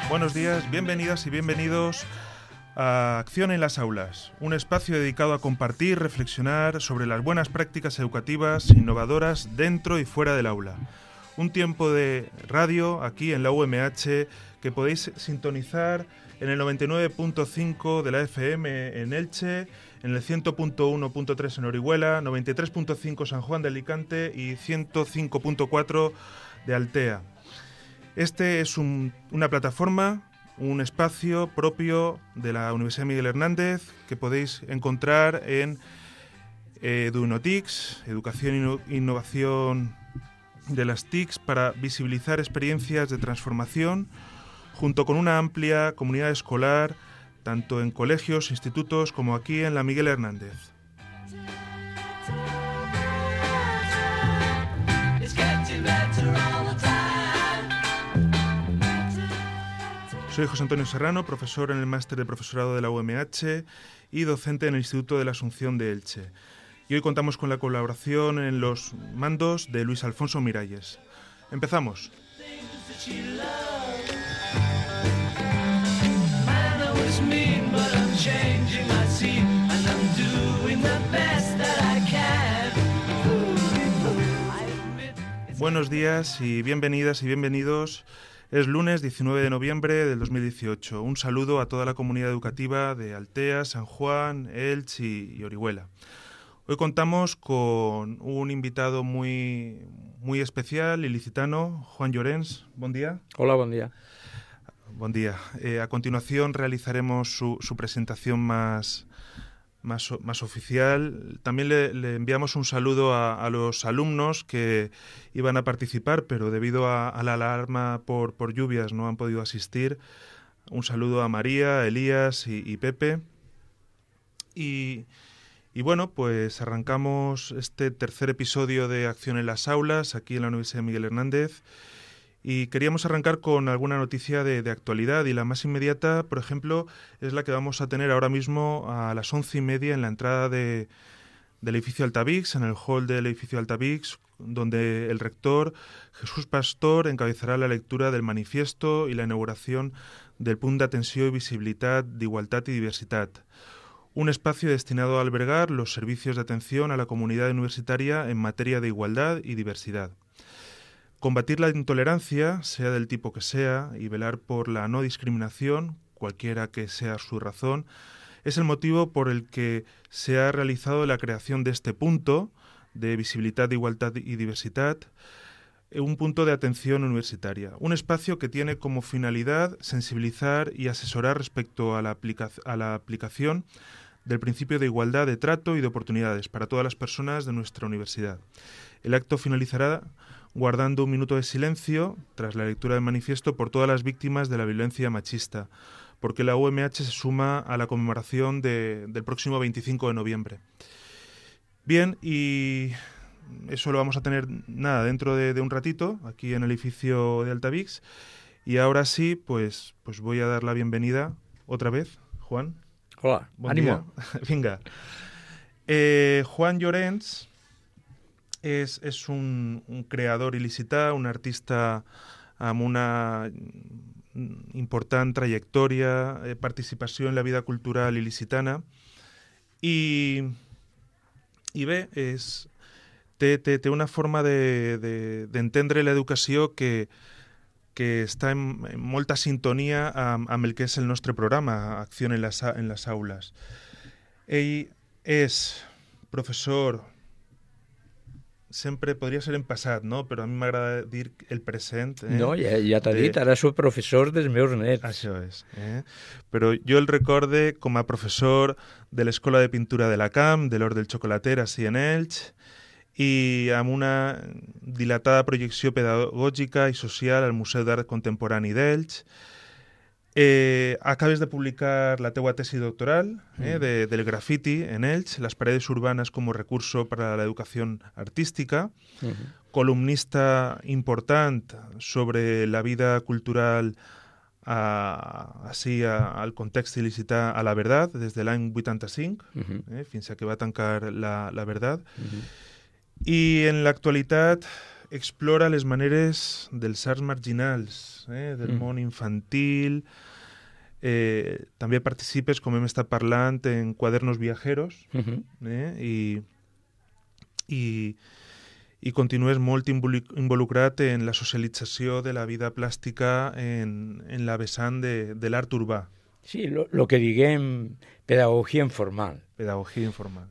Buenos días, bienvenidas y bienvenidos a Acción en las Aulas, un espacio dedicado a compartir, reflexionar sobre las buenas prácticas educativas innovadoras dentro y fuera del aula. Un tiempo de radio aquí en la UMH que podéis sintonizar en el 99.5 de la FM en Elche, en el 100.1.3 en Orihuela, 93.5 San Juan de Alicante y 105.4 de Altea. Este es una plataforma, un espacio propio de la Universidad Miguel Hernández que podéis encontrar en EduInnoTICS, Educación e Innovación de las TICs, para visibilizar experiencias de transformación junto con una amplia comunidad escolar, tanto en colegios, institutos, como aquí en la Miguel Hernández. Soy José Antonio Serrano, profesor en el Máster de Profesorado de la UMH y docente en el Instituto de la Asunción de Elche. Y hoy contamos con la colaboración en los mandos de Luis Alfonso Miralles. Empezamos. Buenos días y bienvenidas y bienvenidos. Es lunes 19 de noviembre del 2018. Un saludo a toda la comunidad educativa de Altea, San Juan, Elche y Orihuela. Hoy contamos con un invitado muy especial, ilicitano, Juan Llorens. Buen día. Hola, buen día. Buen día. A continuación realizaremos su presentación más oficial. También le enviamos un saludo a los alumnos que iban a participar, pero debido a la alarma por lluvias no han podido asistir. Un saludo a María, Elías y Pepe. Y bueno, pues arrancamos este tercer episodio de Acción en las Aulas, aquí en la Universidad Miguel Hernández. Y queríamos arrancar con alguna noticia de actualidad, y la más inmediata, por ejemplo, es la que vamos a tener ahora mismo a las 11:30 en la entrada del edificio Altavix, en el hall del edificio Altavix, donde el rector Jesús Pastor encabezará la lectura del manifiesto y la inauguración del punt d'atenció i visibilitat d'igualtat i diversitat, un espacio destinado a albergar los servicios de atención a la comunidad universitaria en materia de igualdad y diversidad. Combatir la intolerancia, sea del tipo que sea, y velar por la no discriminación, cualquiera que sea su razón, es el motivo por el que se ha realizado la creación de este punto de visibilidad, igualdad y diversidad, un punto de atención universitaria, un espacio que tiene como finalidad sensibilizar y asesorar respecto a la aplicación del principio de igualdad de trato y de oportunidades para todas las personas de nuestra universidad. El acto finalizará guardando un minuto de silencio tras la lectura del manifiesto por todas las víctimas de la violencia machista, porque la UMH se suma a la conmemoración del próximo 25 de noviembre. Bien, y eso lo vamos a tener dentro de un ratito, aquí en el edificio de Altavix. Y ahora sí, pues voy a dar la bienvenida otra vez, Juan. Hola, Buen ánimo. Día. Venga. Juan Llorens es un creador il·licità, un artista amb una important trajectòria, participació en la vida cultural il·licitana, i bé, té una forma d'entendre l'educació que està en molta sintonia amb el que és el nostre programa, Acció en les Aules. Ell és professor, sempre podria ser en passat, no? Però a mi m'agrada dir el present. No, ja t'ha dit, ara soc professor dels meus nets. Això és. Però jo el recorde com a professor de l'Escola de Pintura de la Camp, de l'Hort del Xocolater, ací en Elx, i amb una dilatada projecció pedagògica i social al Museu d'Art Contemporani d'Elx. Acabes de publicar la teua tesi doctoral del grafiti en Elx, las paredes urbanas como recurso para la educación artística, columnista important sobre la vida cultural al context il·licità a La Verdad, des de l'any 85, fins a que va tancar La Verdad. I en l'actualitat explora les maneres dels arts marginals, del món infantil. També participes, com hem estat parlant, en Quadernos Viajeros, i continues molt involucrat en la socialització de la vida plàstica en la vessant de l'art urbà. Sí, lo que diguem pedagogia informal. Pedagogia informal.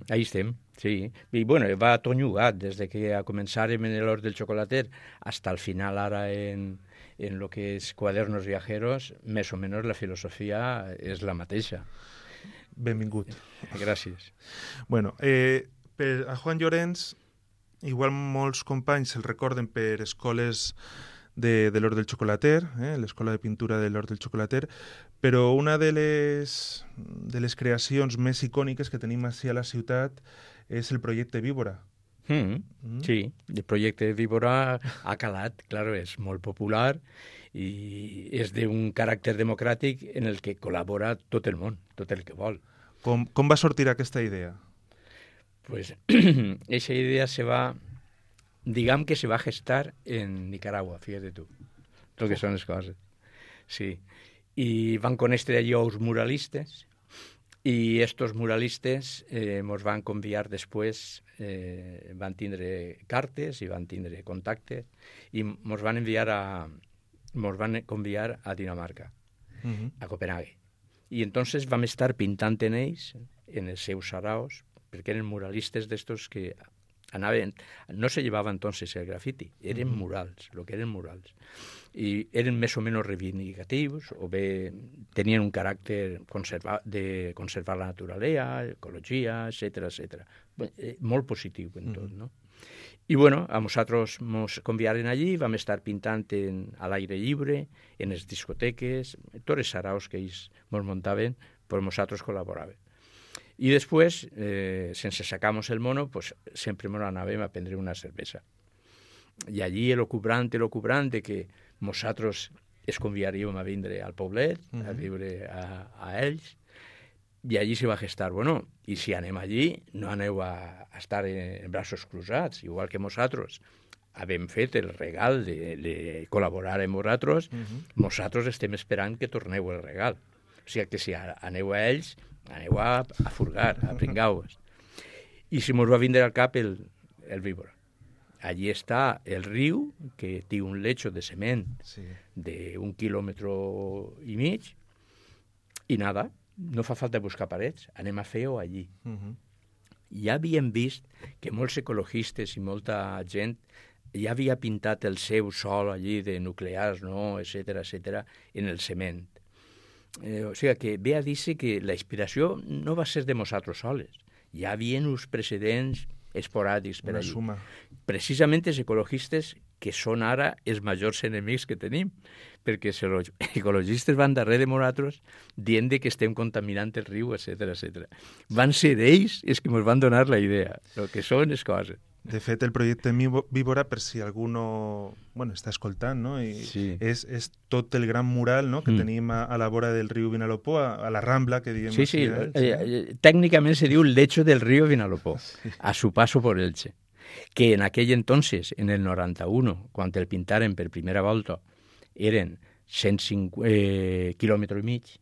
Ahí estem, sí. I bueno, va tot llogat, des de que començàrem en l'Hort del Xocolater hasta el final ara en lo que és Quadernos Viajeros, més o menys la filosofia és la mateixa. Benvingut. Gràcies. Bueno, a Juan Llorens, igual molts companys el recorden per escoles de l'Hort del Xocolater, l'escola de pintura de l'Hort del Xocolater, però una de les creacions més icòniques que tenim així a la ciutat és el projecte Víbora. Sí, el projecte Víbora ha calat, claro, és molt popular i és d'un caràcter democràtic en el que col·labora tot el món, tot el que vol. Com va sortir aquesta idea? Pues esa idea digamos que se va a gestar en Nicaragua, fíjate tú, lo que son las cosas. Sí. Y van con allí a los muralistes, y estos muralistes nos van conviar después, van tindre cartes y van tindre contactes, y nos van conviar a Dinamarca, a Copenhague. Y entonces vam estar pintant en ells, en els seus saraos, perquè eren muralistes d'estos que anaven, no se llevava entonces el grafiti, eren murals, lo que eren murals. I eren més o menys reivindicatius, o bé tenien un caràcter de conservar la naturalesa, ecologia, etc. Molt positiu en tot, no? I bueno, a nosaltres ens convidaren allí, vam estar pintant a l'aire lliure, en les discoteques, tots els saraos que ells ens muntaven, però nosaltres col·laboràvem. I després, sense sacar-nos el mono, pues, sempre ens anàvem a prendre una cervesa. I allí elocubrant de que nosaltres es convidaríem a vindre al poblet, a viure a ells, i allí se va gestar, bueno, i si anem allí, no aneu a estar en braços cruzats, igual que nosaltres havem fet el regal de col·laborar amb vosaltres, nosaltres estem esperant que torneu el regal. O sigui que si aneu a ells, aneu a furgar, a pringar-vos. I si mos va vindre al cap el Víbora. Allí està el riu, que té un lecho de cement d'1,5 quilòmetre, i nada, no fa falta buscar parets, anem a fer-ho allí. Ja havíem vist que molts ecologistes i molta gent ja havia pintat el seu sol allí de nuclears, no, etc., en el cement. O sigui que ve a dir-se que la inspiració no va ser de nosaltres soles. Hi havia uns precedents esporàdics per allí. Precisament els ecologistes que són ara els majors enemics que tenim, perquè els ecologistes van darrere de nosaltres dient que estem contaminant el riu, etc. Van ser ells els que ens van donar la idea, el que són les coses. De fet, el projecte Víbora, per si algú està escoltant, no? És tot el gran mural, no? Que tenim a la vora del riu Vinalopó, a la Rambla, que diem. Sí. Tècnicament se diu el lecho del río Vinalopó, a su paso por Elche. Que en aquell entonces, en el 91, quan el pintaren per primera volta, eren 105 quilòmetres i mig,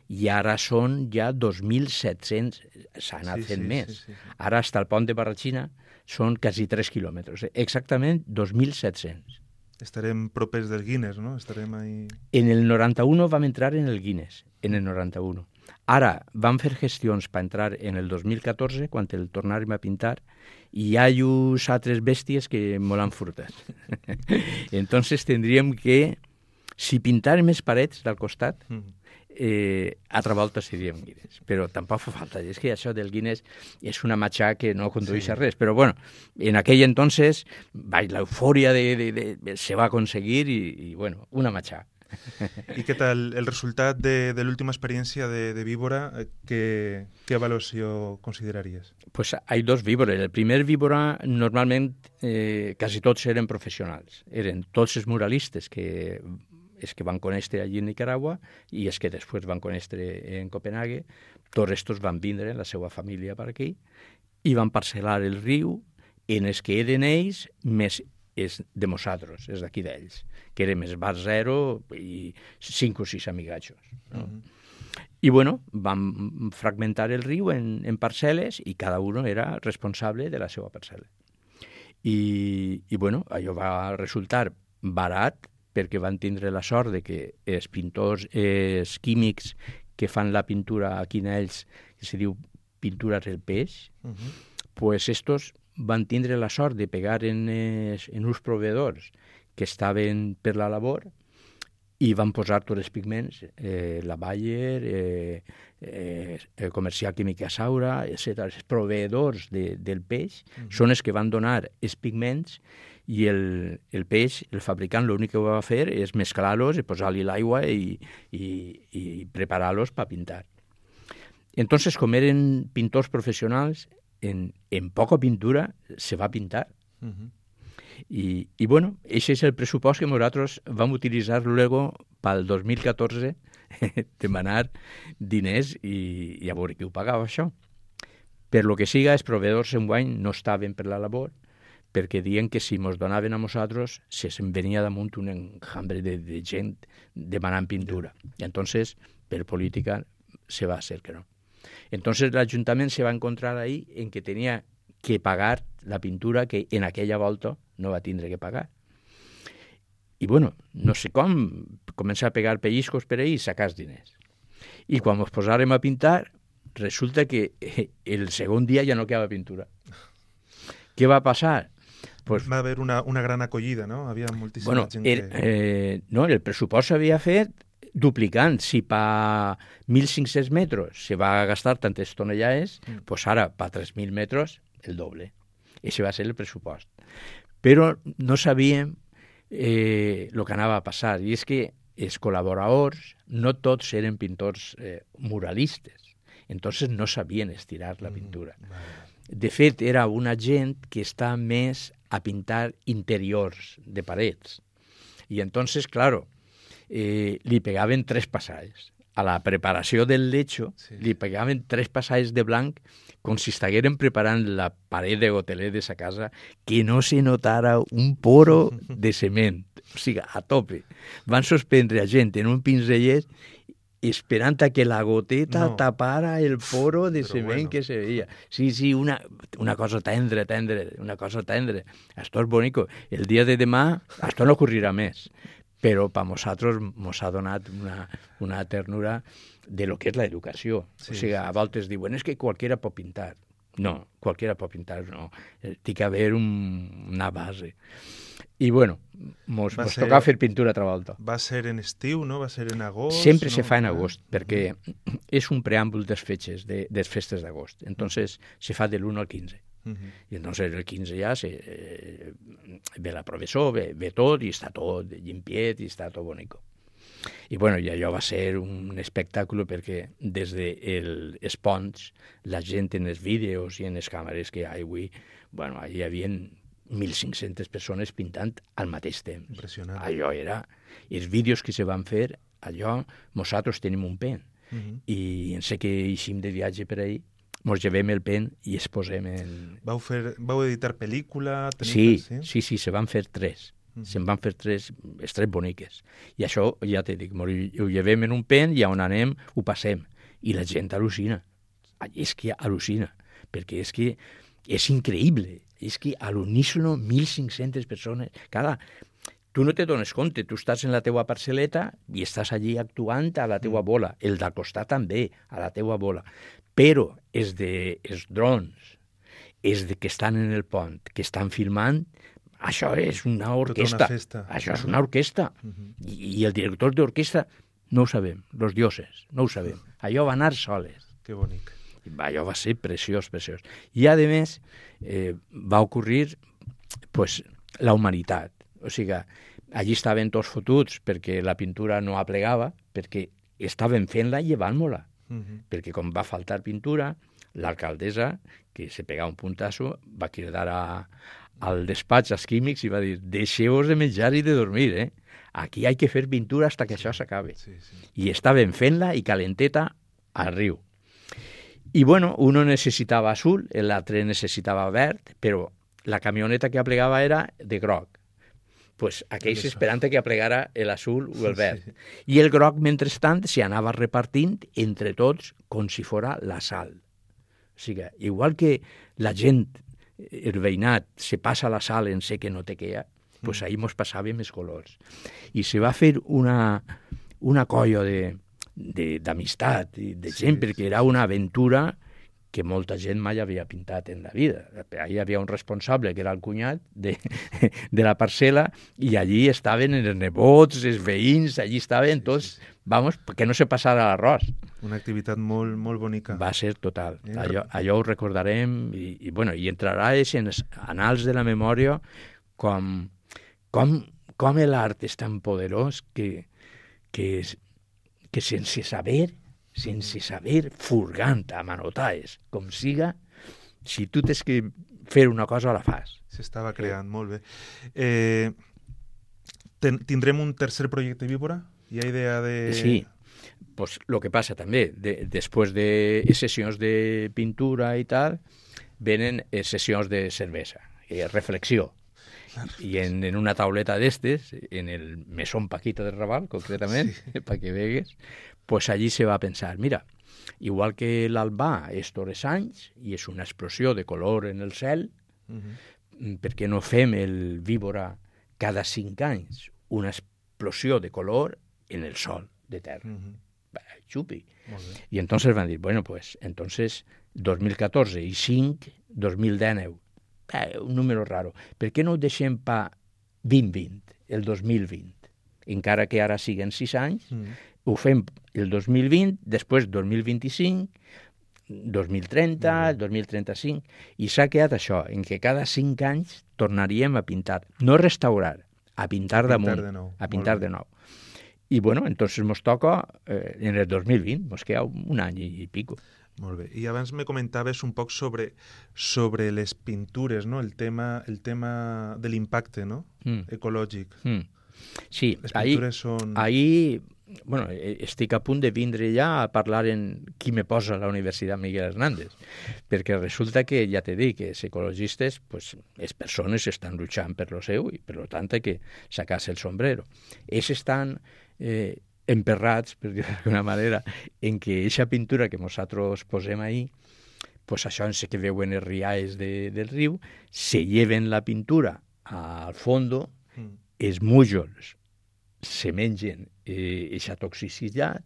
i ara són ja 2.700, s'ha anat fent més. Ara, fins al pont de Barratxina, són quasi 3 quilòmetres, exactament 2.700. Estarem propers del Guinness, no? Estarem ahí... En el 91 vam entrar en el Guinness, en el 91. Ara vam fer gestions per entrar en el 2014, quan el tornàrem a pintar, i hi ha uns altres bèsties que me l'han furtat. Entonces tindríem que, si pintàrem les parets del costat, altra volta seríem Guinness, però tampoc fa falta. És que això del Guinness és una matxà que no condueix a res, però bueno, en aquell entonces l'eufòria se va aconseguir i bueno, una matxà. I què tal el resultat de l'última experiència de Víbora? ¿Qué evaluació consideraries? Pues hay dos víboras. El primer víbora normalment quasi tots eren professionals. Eren tots els muralistes que van conèixer allí en Nicaragua i els que després van conèixer en Copenhague. Tots estos van vindre, la seva família, per aquí, i van parcel·lar el riu en els que eren ells més és de nosaltres, és d'aquí d'ells, que érem els bar zero i 5 o 6 amigatxos. No? I bueno, vam fragmentar el riu en parcel·les i cada un era responsable de la seva parcel·la. I bueno, allò va resultar barat perquè van tindre la sort de que els pintors químics que fan la pintura aquí en ells, que se diu pintura del peix, pues estos van tindre la sort de pegar en uns proveedors que estaven per la labor i van posar tots els pigments, la Bayer, el comercial Química Saura, etc. Els proveïdors del peix són els que van donar els pigments i el peix, el fabricant, l'únic que va fer és mesclar-los i posar-li l'aigua i preparar-los per pintar. Entonces, com eren pintors professionals, en poca pintura se va pintar. I bueno, aquest és el pressupost que nosaltres vam utilitzar luego pel 2014 demanar diners i a veure qui ho pagava això. Per lo que siga, els proveïdors enguany no estaven per la labor perquè diuen que si ens donaven a nosaltres se'n venia damunt un enjambre de gent demanant pintura. I entonces, per política, se va hacer que no. Entonces l'Ajuntament se va encontrar ahí en que tenia que pagar la pintura que en aquella volta no va tindre que pagar. I bueno, no sé com, començar a pegar pellizcos per ahí i sacar els diners. I quan ens posàrem a pintar, resulta que el segon dia ja no quedava pintura. Què va passar? Pues, va haver una gran acollida, no? Havia moltíssima gent que... No, el pressupost s'havia fet duplicant. Si per 1.500 metres se va gastar tantes tonellades, pues ara per 3.000 metres el doble. Ese va ser el pressupost. Però no sabíem el que anava a passar. I és que els col·laboradors no tots eren pintors muralistes. Entonces no sabien estirar la pintura. De fet, era una gent que està més a pintar interiors de parets. I entonces, claro, li pegaven 3 passalls. A la preparació del lecho li pegaven 3 passalls de blanc com si estigueren preparant la paret de goteler de sa casa, que no se notara un poro de cement. O sigui, a tope. Van suspendre a gent en un pinzellet esperant a que la goteta tapara el poro de cement que se veia. Sí, una cosa tendre, una cosa tendre. Esto és bonico. El dia de demà, esto no ocorrirà més. Però per nosaltres ens ha donat una ternura de lo que és l'educació. O sigui, a voltes diuen, és que qualquiera pot pintar. No, qualquiera pot pintar, no. Té que haver una base. I bueno, ens toca fer pintura altra volta. Va ser en estiu, no? Va ser en agost? Sempre se fa en agost, perquè és un preàmbul de les festes d'agost. Entonces, se fa de l'1 al 15. I entonces el 15 ja ve la professor, ve tot, i està tot llimpiet, i està tot bonico. I bueno, i allò va ser un espectacle perquè des dels ponts, la gent en els vídeos i en les càmeres que hi ha avui, bueno, hi havia 1.500 persones pintant al mateix temps. Impressionant. Allò era... Els vídeos que se van fer, allò, nosaltres tenim un pen. I en sé que eixim de viatge per ahí, ens llevem el pen i es posem en... Vau editar pel·lícula? Sí, se van fer 3. Se'n van fer 3 boniques. I això, ja t'he dit, ho llevem en un pen i on anem ho passem. I la gent al·lucina. És que al·lucina, perquè és que és increïble. És que a l'unísono 1.500 persones. Clar, tu no te dones compte, tu estàs en la teua parcel·leta i estàs allí actuant a la teua bola. El del costat també, a la teua bola. Però els drons, els que estan en el pont, que estan filmant, això és una orquestra. Això és una orquestra. I el director d'orquestra no ho sabem, els dioses, no ho sabem. Allò va anar soles. Que bonic. Allò va ser preciós. I, a més, va ocorrir la humanitat. O sigui, allí estaven tots fotuts perquè la pintura no aplegava, perquè estaven fent-la i llevant-me-la. Perquè com va faltar pintura, l'alcaldessa, que se pegava un puntasso, va cridar al despatx als químics i va dir, deixeu-vos de menjar i de dormir, aquí hay que fer pintura hasta que això s'acabe. I estaven fent-la i calenteta al riu. I bueno, uno necessitava azul, l'altre necessitava verd, però la camioneta que aplegava era de groc. Pues aquells esperant que aplegara l'azul o el verd. Sí. I el groc, mentrestant, s'hi anava repartint entre tots com si fora la sal. O sigui, igual que la gent, el veïnat, se passa la sal en sé que no te queda, pues ahí mos passàvem els colors. I se va fer una colla d'amistat i de gent, perquè era una aventura que molta gent mai havia pintat en la vida. Allí hi havia un responsable, que era el cunyat de la parcel·la, i allí estaven els nebots, els veïns, allí estaven tots, vamos, que no se passara l'arròs. Una activitat molt, molt bonica. Va ser total. Allò ho recordarem i entrarà en els anals de la memòria com l'art és tan poderós que sense saber, furgant a manotaes, com siga, si tu tens que fer una cosa, la fas. S'estava creant, molt bé. Tindrem un tercer projecte víbora? Hi ha idea de... Sí, pues lo que passa també, després de sessions de pintura i tal, venen sessions de cervesa, reflexió. I en una tauleta d'estes, en el Mesón Paquita de Raval, concretament, sí, perquè vegues, pues allí se va pensar, mira, igual que l'Albà és tots els anys i és una explosió de color en el cel, per què no fem el víbora cada 5 anys? Una explosió de color en el sol de terra. Xupi. I entonces van dir, bueno, pues, entonces 2014 i 5, 2019. Un número raro. Per què no ho deixem pa 2020, el 2020? Encara que ara siguen 6 anys, ho fem el 2020, després 2025, 2030, 2035, i s'ha quedat això, en què cada 5 anys tornaríem a pintar, no restaurar, a pintar damunt, a pintar de nou. I bueno, entonces nos toca en el 2020, nos queda un any i pico. Molt bé. I abans me comentaves un poc sobre les pintures, no? El tema de l'impacte, no? Ecològic. Sí, les pintures són... ahí, bueno, estic a punt de vindre ja a parlar en qui me posa a la Universitat Miguel Hernández, perquè resulta que, ja t'he dit, que els ecologistes, pues, les persones estan luchant per lo seu i per tant que sacar-se el sombrero. Ells estan... emperrats, per dir d'alguna manera, en què aquesta pintura que nosaltres posem ahí, pues això en sé que veuen els rialls del riu, se lleven la pintura al fondo, els mújols se mengen aquesta toxicitat,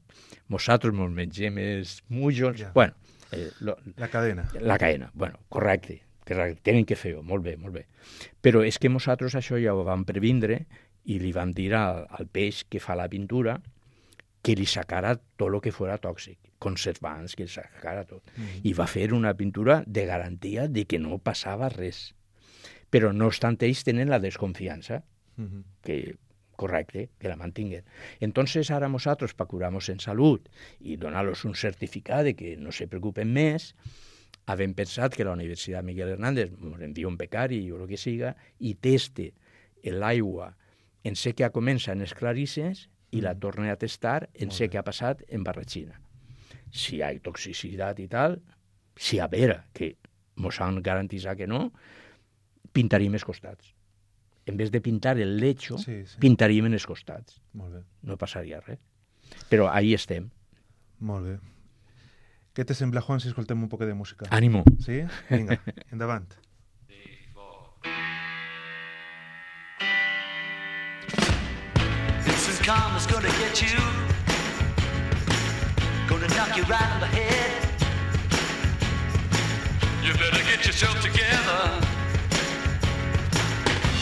nosaltres ens mengem els mújols, bueno... la cadena. La cadena, bueno, correcte, tenen que fer-ho, molt bé. Però és que nosaltres això ja ho vam previndre i li vam dir al peix que fa la pintura que li sacara tot el que fos tòxic, conservants, que li sacara tot. I va fer una pintura de garantia de que no passava res. Però no obstant ells tenen la desconfiança, que correcte, que la mantinguen. Entonces ara nosaltres, per curar-nos en salut i donar-los un certificat de que no se preocupen més, havem pensat que la Universitat Miguel Hernández ens envia un becari o el que siga i teste l'aigua en sé que comença en les clarisses i la torna a testar en sé que ha passat en barratxina. Si hi ha toxicitat i tal, si a veure que mos han garantitzat que no, pintaríem els costats. En vez de pintar el lecho, pintaríem en els costats. Molt bé. No passaria res. Però ahí estem. Molt bé. Què te sembla, Juan, si escoltem un poc de música? Ànimo. Sí? Vinga, endavant. Karma's gonna get you, gonna knock you right on the head. You better get yourself together,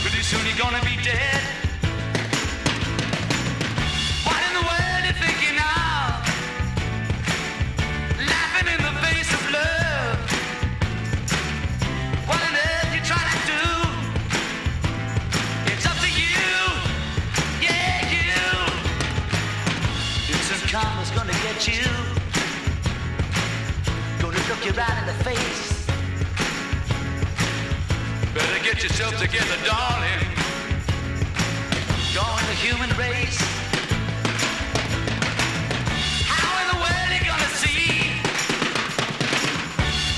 pretty soon you're gonna be dead. What in the world you thinking of? Laughing in the face of love. What on earth you trying to do? It's up to you, yeah, you. Karma's gonna get you, gonna look you right in the face. Better get yourself together, darling. You're in the human race. How in the world are you gonna see?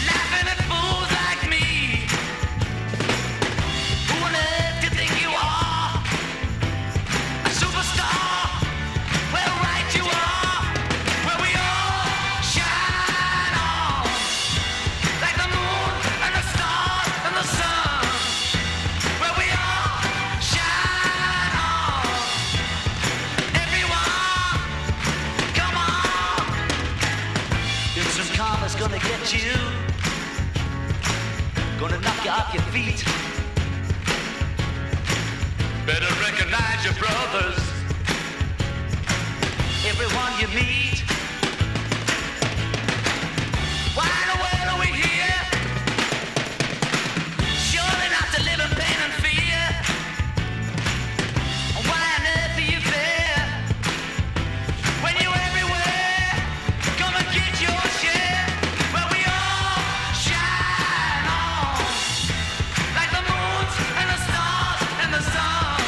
Laughing at fools like me. at you, gonna knock you off your feet. Better recognize your brothers, everyone you meet. Why in the world are we here? Surely not to live in pain and fear. Why on earth are you there? When you're everywhere, come and get your share. Where we all shine on, like the moons and the stars and the sun.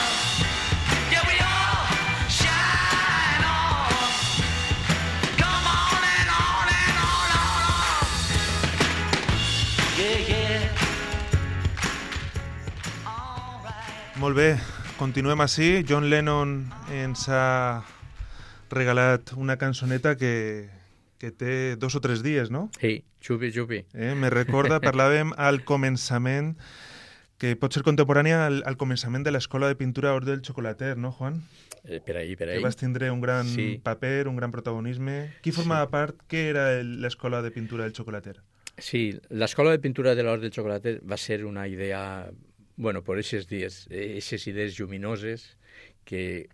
Yeah, we all shine on. Come on and on and on and on. Yeah, yeah. All right. Molt bé, continuem així. John Lennon ens ha regalat una cançoneta que té 2 o 3 dies, no? Sí, xupi, xupi. Me recorda, parlàvem al començament, que pot ser contemporània al començament de l'Escola de Pintura Hort del Xocolater, no, Juan? Per ahí, per Que ahí. vas tindre un gran Sí. paper, un gran protagonisme. Qui formava part? Què era l'Escola de Pintura del Xocolater? Sí, l'Escola de Pintura de l'Hort del Xocolater va ser una idea, bueno, por esos días, esas ideas lluminoses que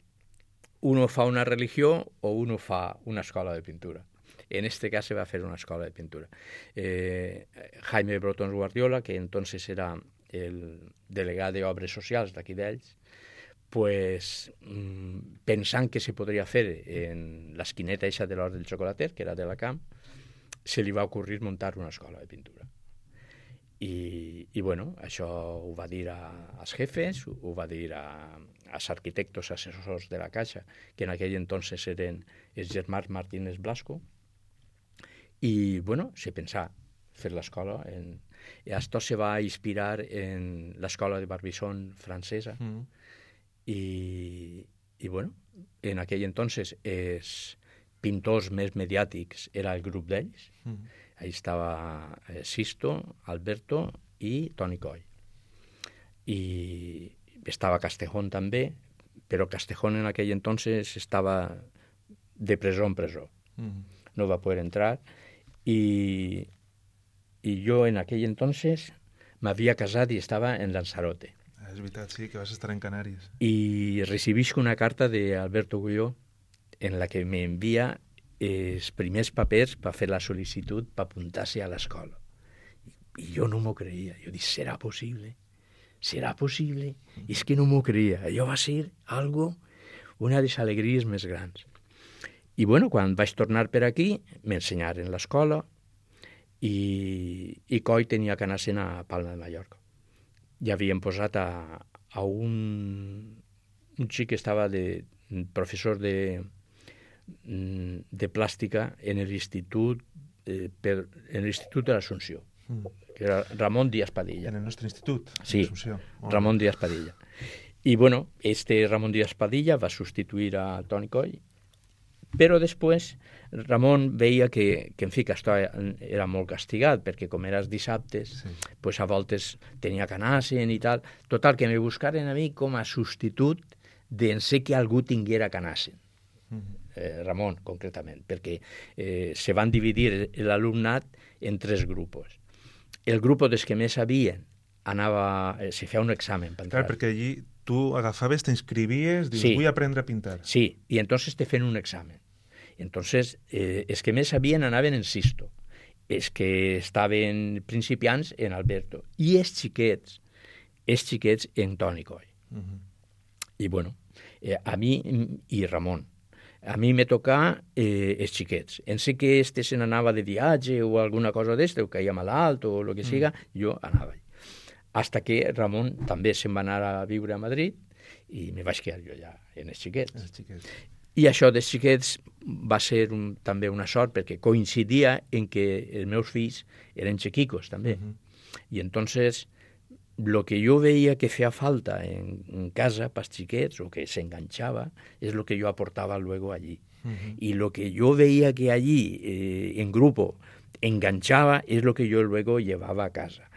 uno fa una religió o uno fa una escola de pintura. En este cas se va fer una escola de pintura. Jaime Brotons Guardiola, que entonces era el delegat d'Obres Socials d'aquí d'ells, pues, pensant que se podria fer en l'esquineta eixa de l'Hort del Xocolater, que era de la Camp, se li va ocurrir muntar una escola de pintura. I bueno, això ho va dir als jefes, ho va dir als arquitectos assessors de la Caixa, que en aquell entonces eren els germans Martínez Blasco, i bueno, se pensà fer l'escola. Esto se va inspirar en l'escola de Barbizon francesa, i bueno, en aquell entonces els pintors més mediàtics era el grup d'ells. Ahí estava Sisto, Alberto i Toni Coll. I estava Castejón també, però Castejón en aquell entonces estava de presó en presó. No va poder entrar. I jo en aquell entonces m'havia casat i estava en Lanzarote. És veritat, sí, que vas estar en Canàries. I recibisc una carta d'Alberto Gulló en la que m'envia els primers papers per fer la sol·licitud per apuntar-se a l'escola. I jo no m'ho creia. Jo dic, serà possible? Serà possible? I és que no m'ho creia. Allò va ser una de les alegries més grans. I bueno, quan vaig tornar per aquí, m'ensenyaren l'escola i Coll tenia que anar-se'n a Palma de Mallorca. I havien posat a un xic que estava de professor de plàstica en l'Institut de l'Assumpció, que era Ramon Díaz Padilla. En el nostre institut, sí, l'Assumpció. Ramon Díaz Padilla. I bueno, Ramon Díaz Padilla va substituir a Toni Coll, però després Ramon veia que en fi, que això era molt castigat, perquè com eres dissabtes, pues a voltes tenia que anar-se'n i tal. Total, que me buscaren a mi com a substitut d'en ser que algú tinguera que anar-se'n. Ramon, concretament, perquè se van dividir l'alumnat en 3 grups. El grup dels que més sabien se feia un examen per entrar. Clar, perquè allí tu agafaves, t'inscrivies, dius, Sí. vull aprendre a pintar. Sí, i entonces te feien un examen. Entonces, els que més sabien anaven en Sisto, els que estaven principiants en Alberto, i els xiquets en Toni Coll. I bueno, a mi i Ramon. A mi me tocà els xiquets. En sé que este se n'anava de viatge o alguna cosa d'este, o caia malalt o el que siga, jo anava. Hasta que Ramon també se'n va anar a viure a Madrid i me vaig quedar jo ja en els xiquets. I això dels xiquets va ser també una sort, perquè coincidia en que els meus fills eren xiquicos també. I entonces lo que jo veia que feia falta en casa pels xiquets, o que s'enganxava, és lo que jo aportava luego allí. Y lo que yo veía que allí, en grupo, enganchaba, es lo que yo luego llevaba a casa.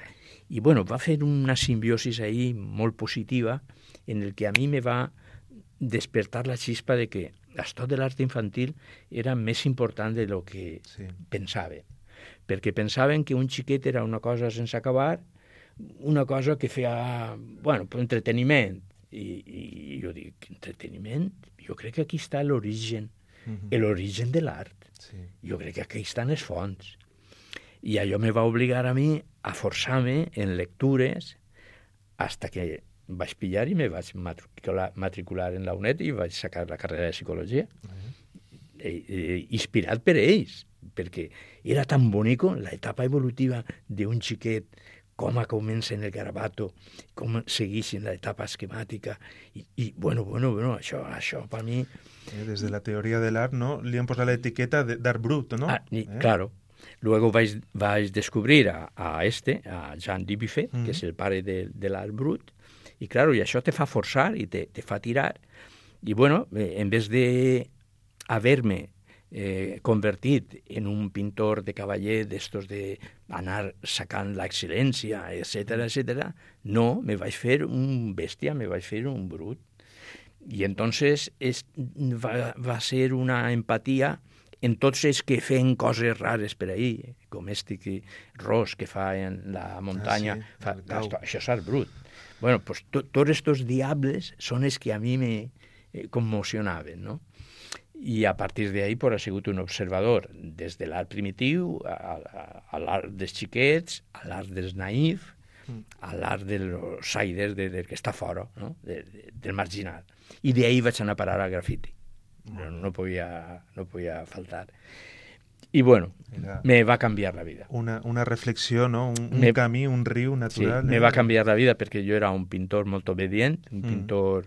Y bueno, va a hacer una simbiosis ahí muy positiva, en el que a mí me va despertar la chispa de que esto de l'art infantil era més important de lo que pensava. perquè pensaven que un xiquet era una cosa sense acabar, una cosa que feia, bueno, per entreteniment. I jo dic, entreteniment? Jo crec que aquí està l'origen, l'origen de l'art. Sí. Jo crec que aquí estan les fonts. I allò me va obligar a mi a forçar-me en lectures hasta que vaig pillar i me vaig matricular en la UNED i vaig sacar la carrera de psicologia. Inspirat per ells, perquè era tan bonico l'etapa evolutiva d'un xiquet, com comença en el garabato, com segueix en l'etapa esquemàtica, i bueno, això per mi... Des de la teoria de l'art, ¿no? Li han posat l'etiqueta d'art brut, ¿no? Claro. Luego vaig descobrir a Jean Dubuffet, que és el pare de l'art brut, i claro, i això te fa forçar i te fa tirar. I bueno, en vez de haver-me convertit en un pintor de cavaller d'estos d'anar sacant l'excel·lència, etc., no, me vaig fer un bèstia, me vaig fer un brut. I entonces va ser una empatia en tots els que feien coses rares per ahir, com Ros que fa en la muntanya, això és art brut. Bueno, pues tots estos diables són els que a mi me conmocionaven, no? I a partir d'ahí ha sigut un observador des de l'art primitiu a l'art dels xiquets, a l'art dels naïfs, a l'art dels outsiders, del que està fora, no? Del marginal. I d'ahí vaig anar a parar al grafiti. No podia faltar. I bueno, me va canviar la vida. Una reflexió, ¿no? Un camí, un riu natural. Sí, me va canviar la vida perquè jo era un pintor molt obedient, un pintor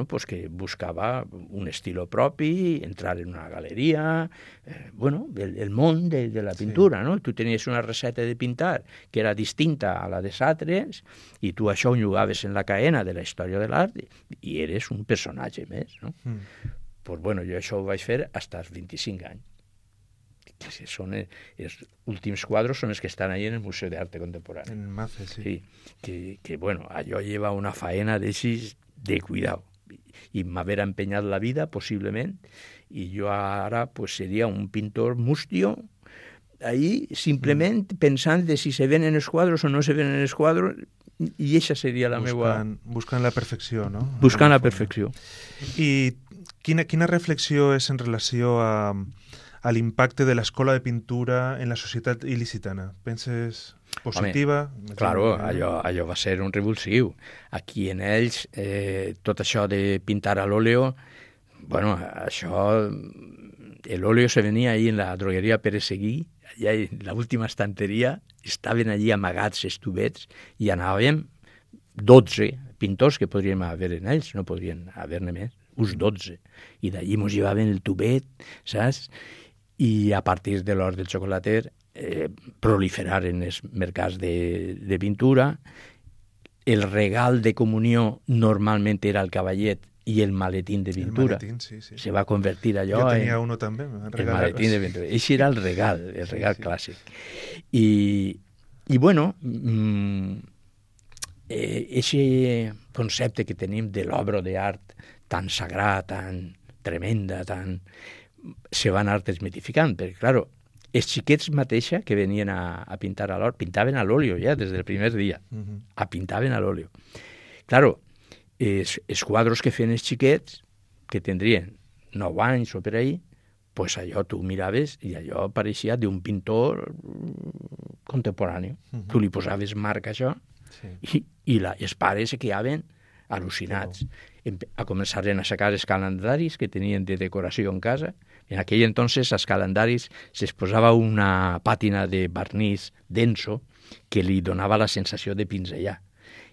pues que buscava un estilo propi, entrar en una galeria, el món de la pintura, no? Tu tenies una receta de pintar que era distinta a la de altres i tu això ho jugaves en la cadena de la història de l'art i eres un personatge més, no? Pues bueno, jo això ho vaig fer fins als 25 anys. Que són els últims quadros són els que estan ahí en el Museu d'Arte Contemporani. En Mace, sí. Sí, que bueno, allò lleva una faena de cuidado. I m'haver empenyat la vida, possiblement, i jo ara pues, seria un pintor mustio, ahí simplement pensant de si se venen els quadros o no se venen els quadros, i aquesta seria la meva... Buscant la perfecció, no? Buscant la perfecció. I quina reflexió és en relació a l'impacte de l'escola de pintura en la societat il·licitana? Penses positiva? Home, claro, allò va ser un revulsiu. Aquí en ells, tot això de pintar a l'óleo, bueno, això... L'óleo se venia ahí en la drogueria Pérez Seguí, allà en l'última estanteria, estaven allí amagats els tubets i anàvem 12 pintors que podríem haver en ells, no podrien haver-ne més, uns 12. I d'allí mos llevaven el tubet, saps? I a partir de l'hort del xocolater proliferaren els mercats de pintura. El regal de comunió normalment era el cavallet i el maletín de pintura. El maletín, sí. Se va convertir allò jo tenia uno també. El maletín de pintura. Eixe era el regal clàssic. I bueno, eixe concepte que tenim de l'obra d'art tan sagrada, tan tremenda, se van anar desmitificant, perquè, claro, els xiquets mateixa que venien a pintar a l'or, pintaven a l'óleo ja des del primer dia, pintaven a l'óleo. Claro, els quadros que feien els xiquets, que tindrien 9 anys o per ahí, pues allò tu miraves i allò pareixia d'un pintor contemporani. Tu li posaves marca a això i els pares se quedaven al·lucinats. A començaren a sacar els calendaris que tenien de decoració en casa. En aquell entonces, als calendaris es posava una pàtina de barnís denso que li donava la sensació de pinzellar.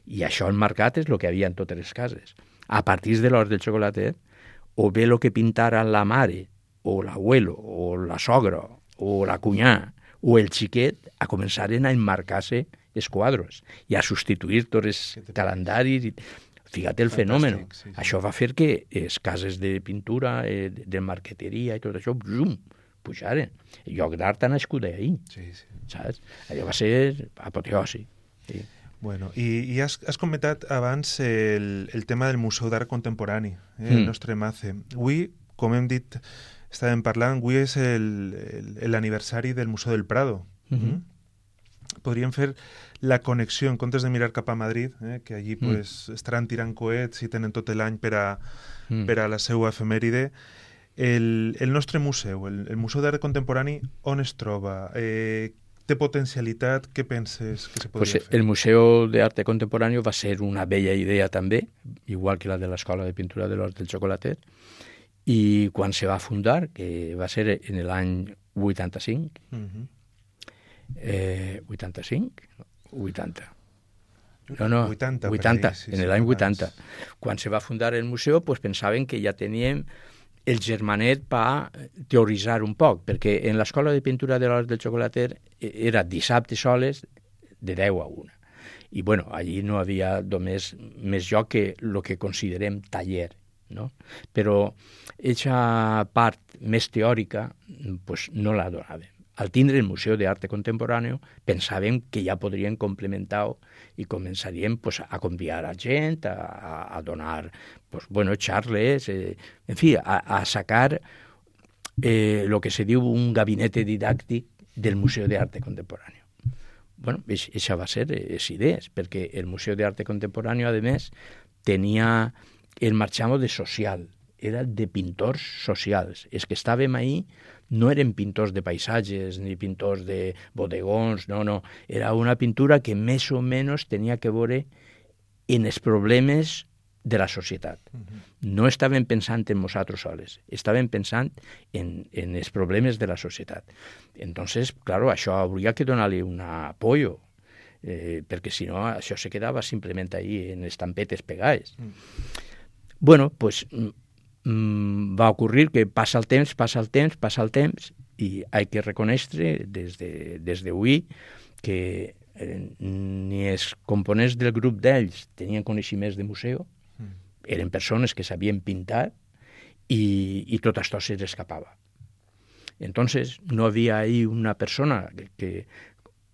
I això enmarcat és el que havia en totes les cases. A partir de l'hort del xocolater, o bé el que pintara la mare, o l'abuelo, o la sogra, o la cunyà, o el xiquet, a començaren a enmarcar-se els quadros i a substituir tots els calendaris. Fíjate el fenòmeno. Sí. Això va fer que les cases de pintura, de marqueteria i tot això, pujaren. El lloc d'art ha nascut d'ahir. Sí. Saps? Allò va ser apoteosi. Sí. Bueno, i has comentat abans el tema del Museu d'Art Contemporani, el nostre MACE. Avui com hem dit, estàvem parlant, avui és l'aniversari del Museu del Prado. Podríem fer la connexió, en comptes de mirar cap a Madrid, que allí pues, estaran tirant coets i tenen tot l'any per a la seva efemèride. El nostre museu, el Museu d'Art Contemporani, on es troba? Té potencialitat? Què penses que se podria fer? El Museu d'Art Contemporani va ser una bella idea també, igual que la de l'Escola de Pintura de l'Hort del Xocolatet, i quan se va fundar, que va ser en l'any 85, 85? 80. No, 80, sí, en l'any 80. Quan se va fundar el museu, pues, pensaven que ja teníem el germanet per teoritzar un poc, perquè en l'Escola de Pintura de l'Hort del Xocolatet era dissabte soles de 10 a 1. I, bueno, allí no havia només més lloc que el que considerem taller, no? Però aquesta part més teòrica pues, no la donàvem. Al tindre el Museu d'Art Contemporani pensàvem que ja podrien complementar-ho i començaríem pues, a convidar a gent, a donar pues, bueno, xarles, en fi, a sacar el que se diu un gabinet didàctic del Museu d'Art Contemporani. Bueno, això va ser les idees, perquè el Museu d'Art Contemporani, a més, tenia el marxamo de social, era de pintors socials. Els que estàvem ahí no eren pintors de paisatges ni pintors de bodegons, no. Era una pintura que més o menys tenia que veure en els problemes de la societat. No estàvem pensant en nosaltres soles, estàvem pensant en els problemes de la societat. Entonces, claro, això hauria que donar-li un apoyo, perquè si no, això se quedava simplement ahí en estampetes pegades. Bueno, pues va ocurrir que passa el temps i hay que reconèixer des d'avui que ni els components del grup d'ells tenien coneixements de museu, eren persones que sabien pintar i tot això se les escapava. Entonces no havia ahí una persona que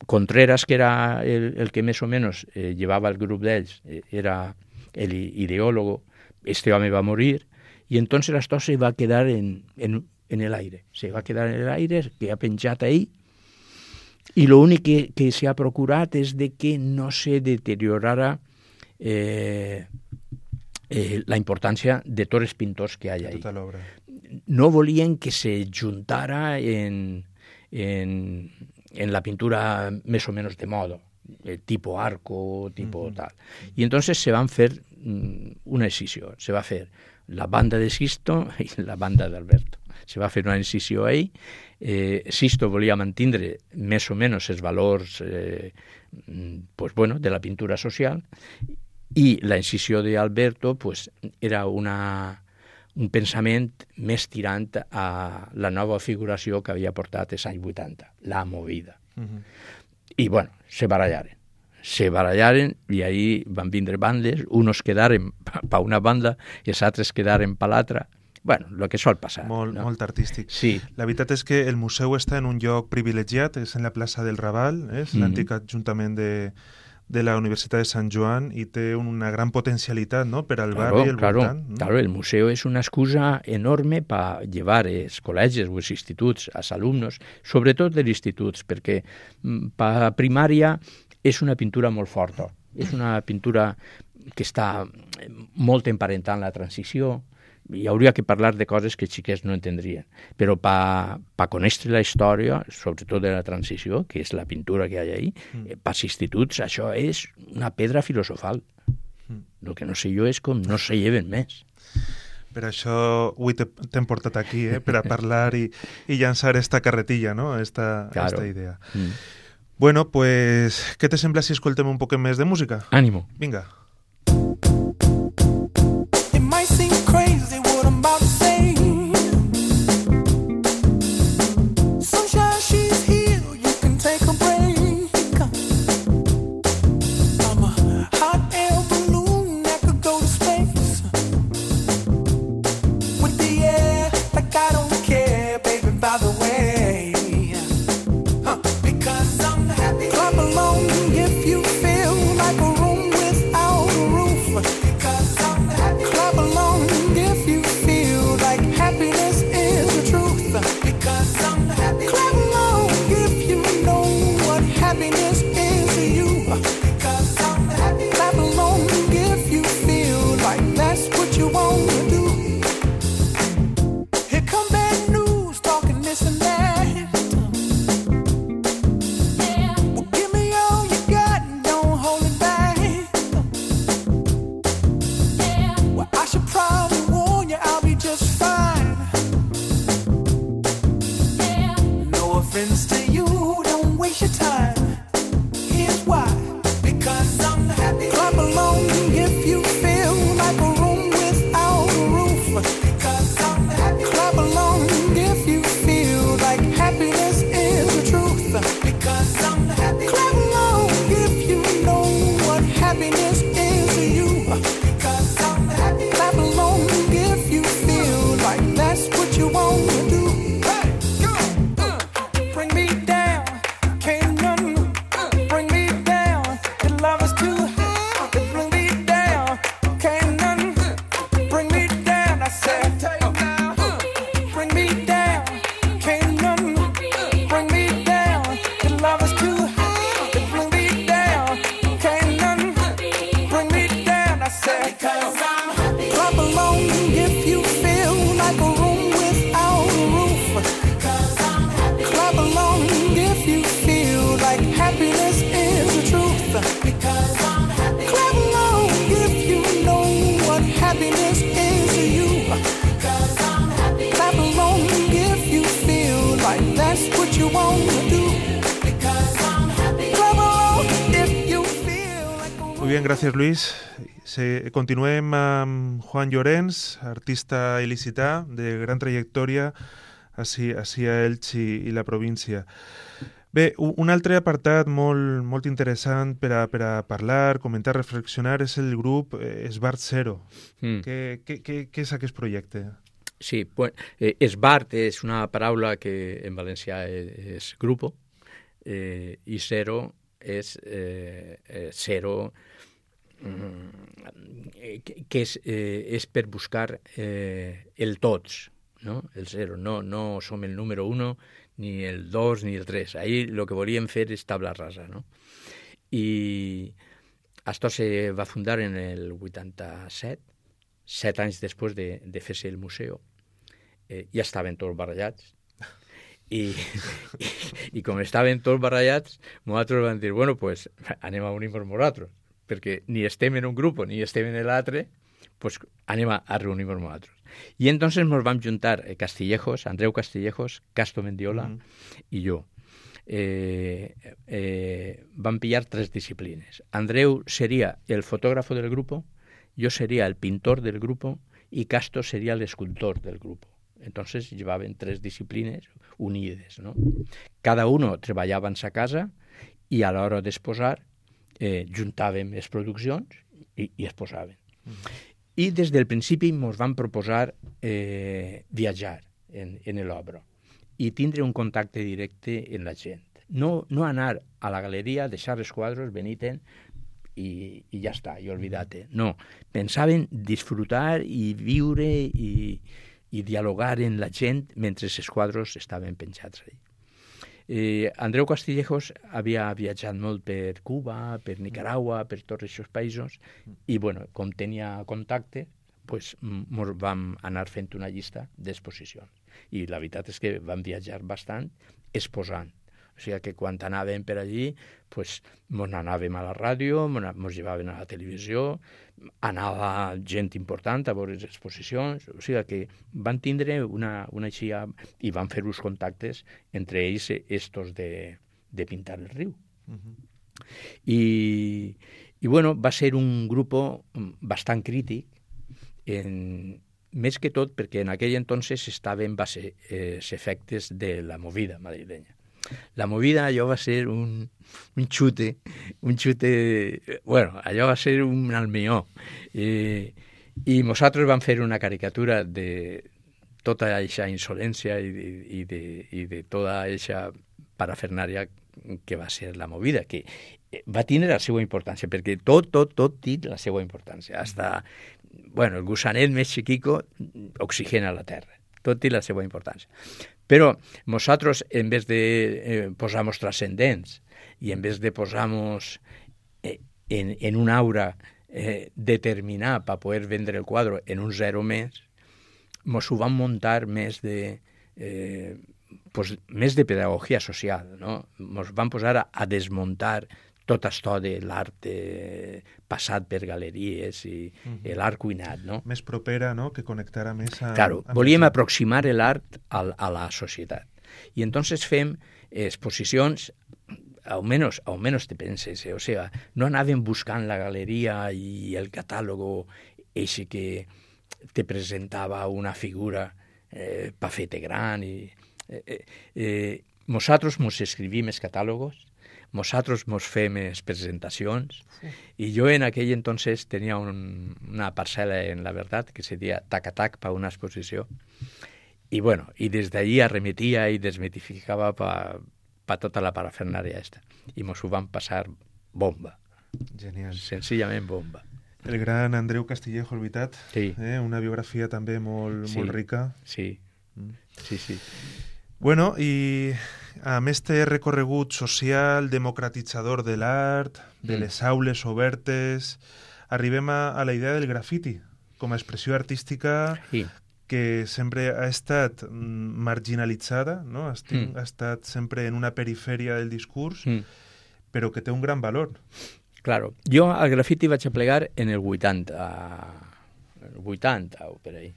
Contreras, que era el que més o menys llevava el grup d'ells, era l'ideòlogo. Este home va morir y entonces esto se va a quedar en el aire. Se va a quedar en el aire, que ha penjat ahí, y lo único que se ha procurat és de que no se deteriorara la importància de tots els pintors que hi ha ahí. Tota l'obra. No volien que se juntara en la pintura més o menys de moda, tipo arco, tipo tal. Y entonces se van fer una excisió. Se va fer la banda de Sisto i la banda d'Alberto. Se va fer una incisió ahí. Sisto volia mantindre més o menys els valors pues, bueno, de la pintura social, i la incisió d'Alberto pues, era un pensament més tirant a la nova figuració que havia portat els anys 80, la movida. I, bueno, se barallaren i ahí van vindre bandes, unos quedaren per una banda i els altres quedaren per l'altra. Bueno, el que sol passar. Molt artístic. Sí. La veritat és que el museu està en un lloc privilegiat, és en la plaça del Raval, és l'antic ajuntament de la Universitat de Sant Joan, i té una gran potencialitat, ¿no?, per al barri i el voltant. Claro, el museu és una excusa enorme per llevar els col·legis o els instituts als alumnos, sobretot dels instituts, perquè per primària és una pintura molt forta, és una pintura que està molt emparentant la transició, i hauria que parlar de coses que els xiquets no entendrien. Però per conèixer la història, sobretot de la transició, que és la pintura que hi ha ahí, pels instituts això és una pedra filosofal. El que no sé jo és com no se lleven més. Per això avui t'hem portat aquí, per a parlar i llançar esta carretilla, no?, esta idea. Bueno, pues, què te sembla si escoltem un poc més de música? Ànimo. Vinga. Clap along if you feel like a room without just fine. No offense to you, don't waste your time. Here's why. Because I'm happy. Clap along if you feel like a room without a roof. Because I'm happy. Clap along if you feel like happiness is the truth. Because I'm happy. Clap along if you know what happiness is to you. Because I'm happy. Clap along if you feel like that's what you want to do. Hey, go! Bring me down, can't none bring me down. Your love is too high. Bring me down, can't none bring me down. I said, bring me down, can't none bring me down. Your love is too high. Bring me down, can't none bring me down. I said, clap along if you feel like a room without a roof. Clap along if you feel like happiness is the truth. Clap along if you know what happiness is to you. Clap along if you feel like that's what you want to do. Clap along if you feel like a Muy bien, gracias Luis. Continuem amb Juan Llorens, artista il·licità de gran trajectòria a Elx i la província. Bé, un altre apartat molt interessant per a parlar, comentar, reflexionar és el grup Esbart Zero. Què és aquest projecte? Sí, bueno, esbart és una paraula que en valencià és grupo i zero és zero, que és per buscar el tots, no? El zero. No som el número 1, ni el 2, ni el 3. Ahí lo que volíem fer és tabla rasa, no? I esto se va fundar en el 87, 7 anys després de fer-se el museu. Ja estaven tots barallats. I com estaven tots barallats, nosaltres vam dir, bueno, pues anem a unir-nos nosaltres, perquè ni estem en un grup ni estem en l'altre, pues anem a reunir-nos nosaltres. I entonces nos vam juntar Castillejos, Andreu Castillejos, Casto Mendiola i jo. Vam pillar 3 disciplines. Andreu seria el fotògrafo del grupo, yo sería el pintor del grupo y Casto sería el escultor del grupo. Entonces llevaven 3 disciplines unides, ¿no? Cada uno treballava en sa casa i a l'hora d'exposar juntàvem les produccions i exposaven. I des del principi ens van proposar viatjar en l'obra i tindre un contacte directe amb la gent. No anar a la galeria, deixar els quadres, veniten i ja està, i olvidate. No, pensaven disfrutar i viure i dialogar amb la gent mentre els quadres estaven penjats allà. Andreu Castillejos havia viatjat molt per Cuba, per Nicaragua, per tots aquests països i, bueno, com tenia contacte, pues, vam anar fent una llista d'exposicions. I la veritat és que vam viatjar bastant exposant. O sigui que quan anàvem per allí, pues, mos anàvem a la ràdio, mos llevaven a la televisió, anava gent important a veure les exposicions, o sigui que van tindre una aixia i van fer uns contactes entre ells estos de pintar el riu. I bueno, va ser un grup bastant crític, més que tot perquè en aquell entonces estaven els efectes de la movida madrilenya. La movida, allò va ser un xute, bueno, allò va ser un almió. I nosaltres vam fer una caricatura de tota aquesta insolència i de tota aquesta parafernària que va ser la movida, que va tindre la seva importància, perquè tot té la seva importància. Hasta, bueno, el gusanet més xiquico oxigena la terra. Tot té la seva importància. Però nosaltres, en vez de posar-nos transcendents i en vez de posar-nos en una aura determinada per poder vendre el quadre en un zero més, ens ho vam muntar més de pedagogia social, no? Ens vam posar a desmuntar tot això de l'art passat per galeries i l'art cuinat, no? Més propera, no?, que connectara més amb... Claro, volíem aproximar l'art a la societat. I entonces fem exposicions, almenys te penses, o sea, no anàvem buscant la galeria i el catàlogo eixe que te presentava una figura pafete gran. Nosaltres mos escrivim els catàlogos, nosaltres mos fem les presentacions, i jo en aquell entonces tenia una parcel·la en La Verdad que se deia tac-a-tac per una exposició. I bueno, i des d'allí arremetia i desmitificava per tota la parafernària esta. I mos ho vam passar bomba. Genial. Senzillament bomba. El gran Andreu Castillejo, el veritat. Sí. Una biografia també molt rica. Sí, sí. Bueno, i amb este recorregut social, democratitzador de l'art, de les aules obertes, arribem a la idea del grafiti com a expressió artística que sempre ha estat marginalitzada, no? Ha estat sempre en una perifèria del discurs, però que té un gran valor. Claro, jo al grafiti vaig aplegar en el 80 o per ahí.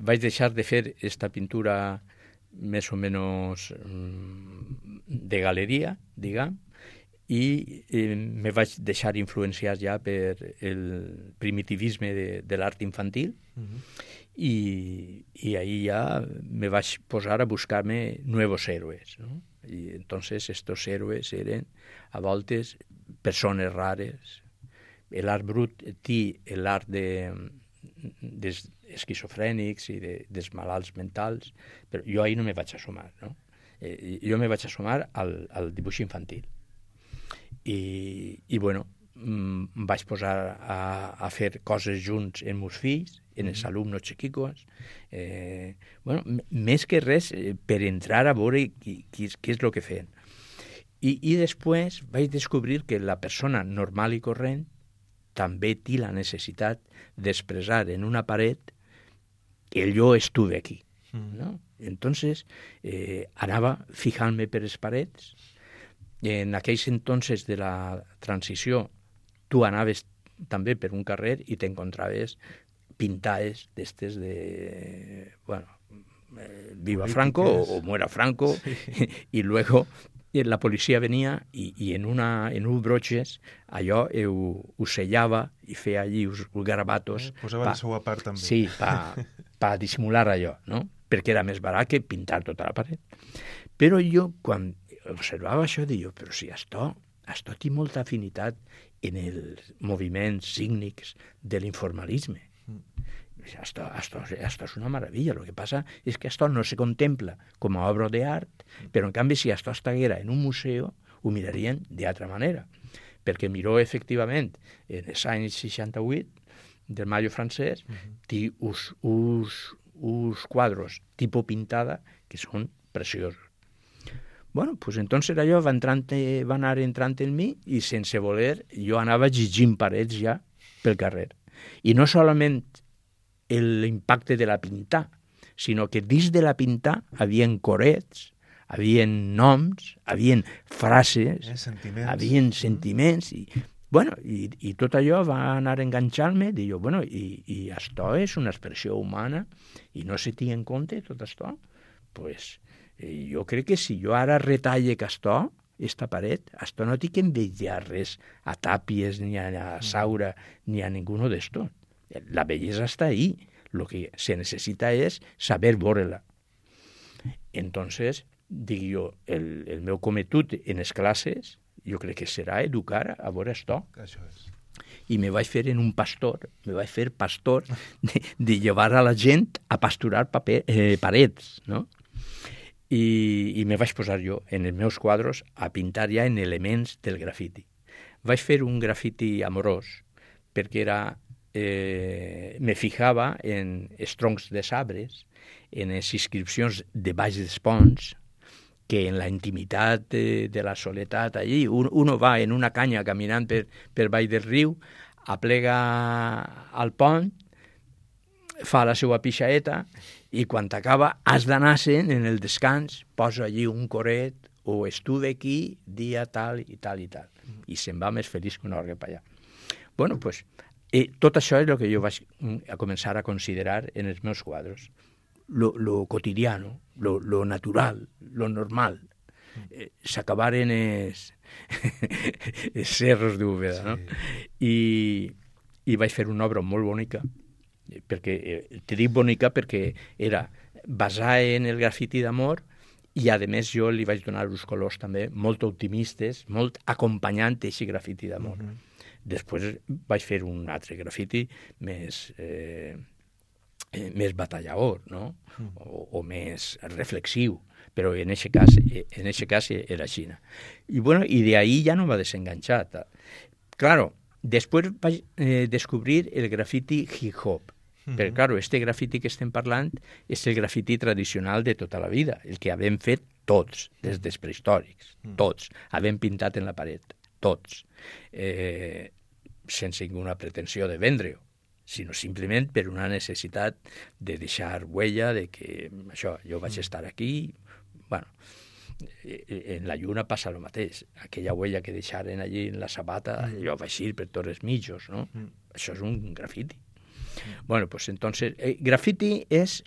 Vaig deixar de fer esta pintura més o menys de galeria, diguem, i me vaig deixar influenciar ja per el primitivisme de l'art infantil, i ahí ja me vaig posar a buscar-me nuevos héroes, ¿no? Y entonces estos héroes eren a voltes persones rares. L'art brut té l'art dels esquizofrènics i dels malalts mentals, però jo ahí no me vaig assumar, no? Jo me vaig assumar al dibuix infantil. I bueno, vaig posar a fer coses junts amb meus fills, en els alumnes xiquicos, bueno, més que res per entrar a veure què és el que feien. I després vaig descobrir que la persona normal i corrent també té la necessitat d'expressar en una paret que jo estuve aquí, ¿no? Entonces, anava fijant-me per les parets. En aquells entonces de la transició, tu anaves també per un carrer i t'encontraves pintades d'estes de, bueno, viva Franco o muera Franco, i luego la policia venia i en uns broches allò ho sellava i feia allí uns garabatos. Posava la seva part també. Sí, per dissimular allò, no? Perquè era més barat que pintar tota la paret. Però jo, quan observava això, deia, però si això té molta afinitat en els moviments sígnics de l'informalisme. Esto es una maravilla. Lo que pasa es que esto no se contempla como obra de art, pero en canvi si esto estiguera en un museu ho mirarien d'altra manera, perquè miró efectivament en els anys 68 del Mayo francès té uns quadros tipo pintada que són preciosos. Bueno, pues entonces allò va anar entrant en mi i sense voler jo anava llegint parets ja pel carrer. I no solament l'impacte de la pintar, sinó que dins de la pintar havien corets, havien noms, havien frases, havien sentiments, i tot allò va anar enganxant-me, i jo, bueno, i això és una expressió humana, i no se té en compte tot això, pues jo crec que si jo ara retalle que això, esta paret, això no té que envejar res a Tàpies, ni a Saura, ni a ninguno d'estos. La bellesa està ahí. Lo que se necesita es saber veure-la. Entonces, dic jo, el meu cometut en les classes, jo crec que serà educar a veure això. Això és. I me vaig fer en un pastor, me vaig fer pastor de llevar a la gent a pasturar parets, no? I me vaig posar jo en els meus quadros a pintar ja en elements del grafiti. Vaig fer un grafiti amorós, perquè era me fijava en els troncs de arbres, en les inscripcions de baix dels ponts, que en la intimitat de la soledat allí, uno va en una canya caminant per baix del riu, aplega al pont, fa la seva pixaeta i quan t'acaba has d'anar-se'n en el descans, posa allí un coret, o estuve aquí dia tal i tal i tal. I se'n va més feliç que un orgue per allà. Bueno, pues, tot això és el que jo vaig a començar a considerar en els meus quadros. Lo cotidiano, lo natural, lo normal. S'acabaren els cerros d'Úbeda, no? I vaig fer una obra molt bonica, perquè te dic bonica perquè era basada en el grafiti d'amor i, a més, jo li vaig donar uns colors també molt optimistes, molt acompanyant aquest grafiti d'amor. Després vaig fer un altre grafiti més batallador, no? O més reflexiu, però en aquest cas era així. I bueno, i de ahí ja no m'ha desenganxat. Claro, després vaig descobrir el grafiti hip-hop. Però, claro, este grafiti que estem parlant és el grafiti tradicional de tota la vida, el que havem fet tots, des dels prehistòrics, tots. Havem pintat en la paret, tots. Sense ninguna pretensió de vendre-ho, sinó simplement per una necessitat de deixar huella de que això, jo vaig estar aquí. Bueno, en la lluna passa el mateix. Aquella huella que deixaren allí en la sabata, jo vaig ir per tots els mitjos, no? Això és un grafiti. Bueno, pues entonces, grafiti és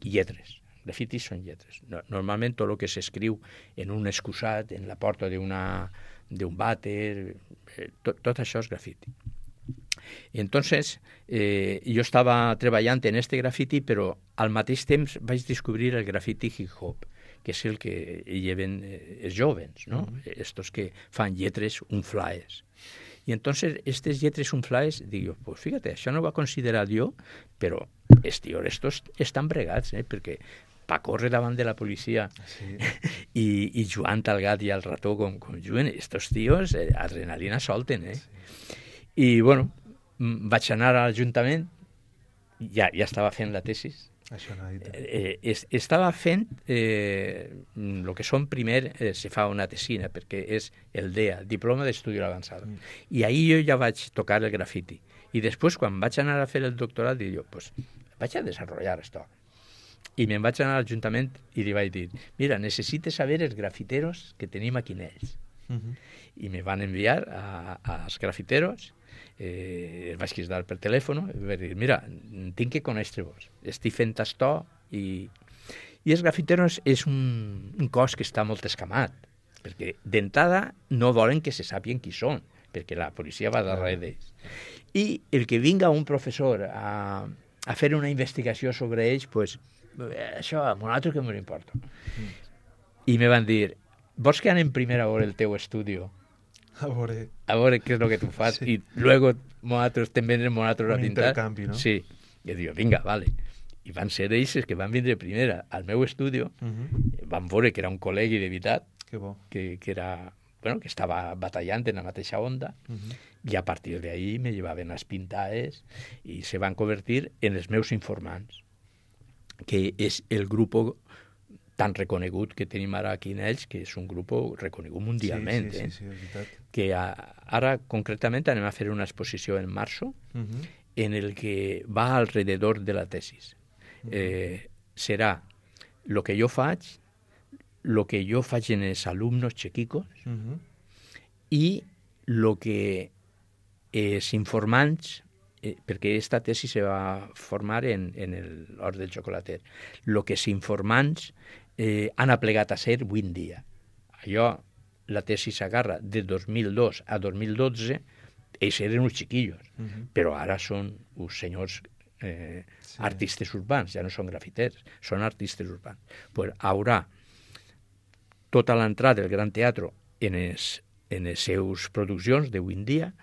lletres. Grafiti són lletres. Normalment tot el que s'escriu en un excusat, en la porta d'un vàter, tot això és grafiti. Entonces, jo estava treballant en este grafiti, però al mateix temps vaig descobrir el grafiti hip-hop, que és el que lleven els jovens, ¿no? Estos que fan lletres unflaes. Y entonces, estas lletres unflaes, digo, pues fíjate, això no ho va considerar jo, però els tios estos estan bregats, perquè pa córrer davant de la policia i jugant al gat i al rató com juguen, estos tios adrenalina solten, I, bueno, vaig anar a l'Ajuntament, ja estava fent la tesis. Estava fent el que són primer, se fa una tesina, perquè és el DEA, Diploma d'Estudi Avançado. I ahir jo ja vaig tocar el grafiti. I després, quan vaig anar a fer el doctorat, dic jo, pues vaig a desenvolupar això. I me'n vaig anar a l'Ajuntament i li vaig dir, mira, necessites saber els grafiteros que tenim aquí en ells. I me van enviar als grafiteros, els vaig cridar per telèfon i vaig dir, mira, tinc que conèixer-vos, estic fent això i els grafiteros és un cos que està molt escamat, perquè d'entrada no volen que se sàpien qui són, perquè la policia va darrere d'ells. I el que vinga un professor a fer una investigació sobre ells, pues, això a nosaltres que m'ho importa. I me van dir, vols que anem primer a veure el teu estudi? A veure què és el que tu fas, i luego nosaltres també anem nosaltres a pintar. Un intercanvi, no? Sí. I dic, vinga, vale. I van ser ells que van vindre primer al meu estudi, van veure que era un col·legui de veritat, que era, bueno, que estava batallant en la mateixa onda, i a partir d'ahí me llevaven les pintades i se van convertir en els meus informants, que és el grup tan reconegut que tenim ara aquí en ells, que és un grup reconegut mundialment. Sí, és veritat. Que ara, concretament, anem a fer una exposició en marzo, en el que va alrededor de la tesis. Serà el que jo faig en els alumnos chiquicos i el que els informants, perquè aquesta tesi se va formar en l'Hort del Xocolater, el que els informants han aplegat a ser avui en dia. Allò, la tesi s'agarra de 2002 a 2012, ells eren uns xiquillos, però ara són uns senyors artistes urbans, ja no són grafiters, són artistes urbans. Pues haurà tota l'entrada del Gran Teatre en les seus produccions d'avui en dia